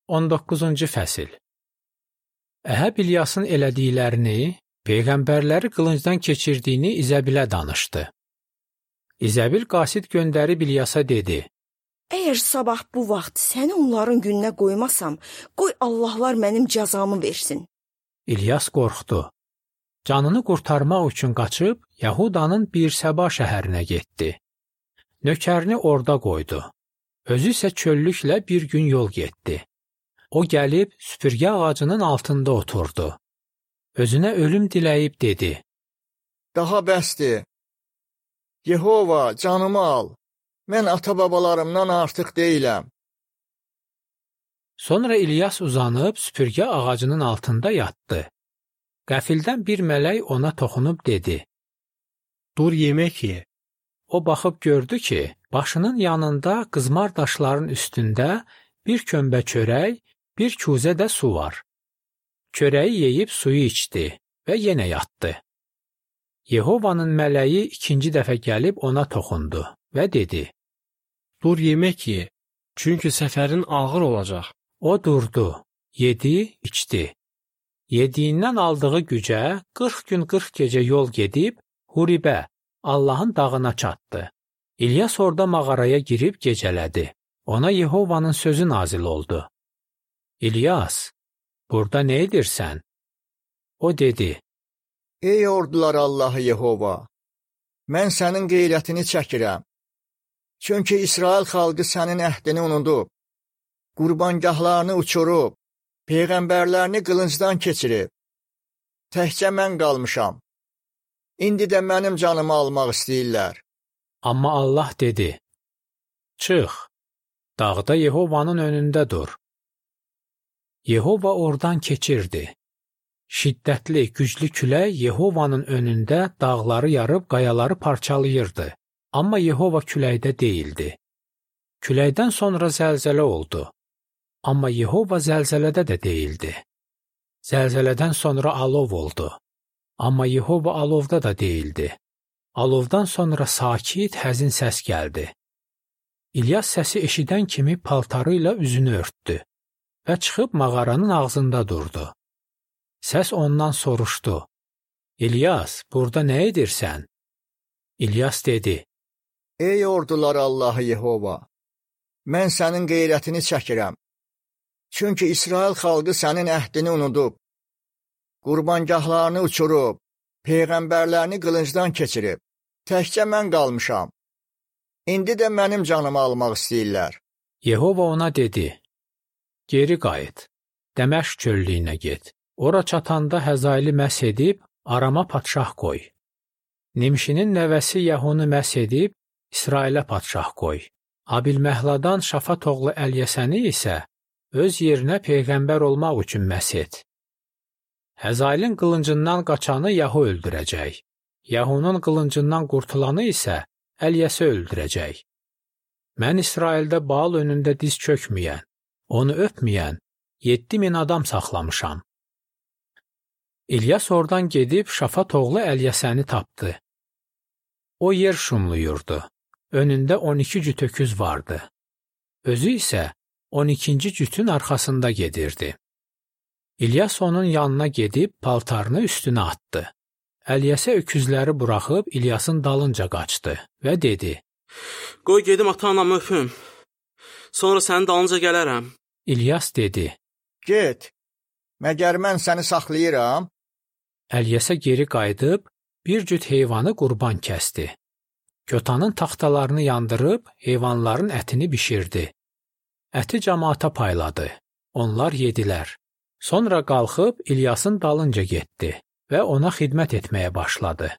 19-cu fəsil. Əhəb İlyasın elədiklərini, peyğəmbərləri qılıncdan keçirdiyini İzəbilə danışdı. İzəbil qasid göndərib İlyasa dedi: Əgər sabah bu vaxt səni onların gününə qoymasam, qoy Allahlar mənim cəzamı versin. İlyas qorxdu. Canını qurtarmaq üçün qaçıb Yahudanın Birsəba şəhərinə getdi. Nökərini orada qoydu. Özü isə çöllüklə bir gün yol getdi. O gəlib süpürgə ağacının altında oturdu. Özünə ölüm diləyib dedi: Daha bəsdir. Yehova, canımı al. Mən ata-babalarımdan artıq deyiləm. Sonra İlyas uzanıb süpürgə ağacının altında yatdı. Qəfildən bir mələk ona toxunub dedi: Dur yemək ye. O baxıb gördü ki, başının yanında qızmar daşların üstündə bir kömbə çörək, bir kuzə də su var. Çörəyi yeyib suyu içdi və yenə yatdı. Yehovanın mələyi ikinci dəfə gəlib ona toxundu və dedi: Dur yemək ye, çünki səfərin ağır olacaq. O durdu, yedi, içdi. Yediyindən aldığı gücə 40 gün 40 gecə yol gedib Huribə, Allahın dağına çatdı. İlyas orada mağaraya girib gecələdi. Ona Yehovanın sözü nazil oldu: İlyas, burada nə edirsən? O dedi: Ey ordular Allahı Yehova, mən sənin qeyrətini çəkirəm. Çünki İsrail xalqı sənin əhdini unudub, qurbangahlarını uçurub, peyğəmbərlərini qılıncdan keçirib. Təkcə mən qalmışam. İndi də mənim canımı almaq istəyirlər. Amma Allah dedi: Çıx, dağda Yehovanın önündə dur. Yehova oradan keçirdi. Şiddətli, güclü külək Yehovanın önündə dağları yarıb qayaları parçalayırdı. Amma Yehova küləkdə deyildi. Küləkdən sonra zəlzələ oldu. Amma Yehova zəlzələdə də deyildi. Zəlzələdən sonra alov oldu. Amma Yehova alovda da deyildi. Alovdan sonra sakit, həzin səs gəldi. İlyas səsi eşidən kimi paltarı ilə üzünü örtdü və çıxıb mağaranın ağzında durdu. Səs ondan soruşdu: İlyas, burada nə edirsən? İlyas dedi: Ey ordular Allahı Yehova, mən sənin qeyrətini çəkirəm. Çünki İsrail xalqı sənin əhdini unudub, qurbangahlarını uçurub, peyğəmbərlərini qılıncdan keçirib. Təkcə mən qalmışam. İndi də mənim canımı almaq istəyirlər. Yehova ona dedi: Geri qayıt, Dəməşq çöllüyünə get. Ora çatanda Həzaili məhs edib, Arama padşah qoy. Nimşinin nəvəsi Yəhunu məhs edib, İsrailə padşah qoy. Abilməhladan Şafat oğlu Əlyəsəni isə öz yerinə peyğəmbər olmaq üçün məhs et. Həzailin qılıncından qaçanı Yahu öldürəcək. Yahunun qılıncından qurtulanı isə Əlyəsi öldürəcək. Mən İsraildə Baal önündə diz çökməyən, onu öpməyən 7000 adam saxlamışam. İlyas oradan gedib Şafat oğlu Əlyəsəni tapdı. O yer şumluyurdu. Önündə 12 cüt öküz vardı. Özü isə 12-ci cütün arxasında gedirdi. İlyas onun yanına gedib paltarını üstünə atdı. Əlyəsə öküzləri buraxıb İlyasın dalınca qaçdı və dedi: Qoy gedim ata-anamı öpüm. Sonra sənin dalınca gələrəm. İlyas dedi: Get, məgər mən səni saxlayıram? Əlyəsə geri qayıdıb bir cüt heyvanı qurban kəsdi. Kötanın taxtalarını yandırıb heyvanların ətini bişirdi. Əti camaata payladı. Onlar yedilər. Sonra qalxıb İlyasın dalınca getdi və ona xidmət etməyə başladı.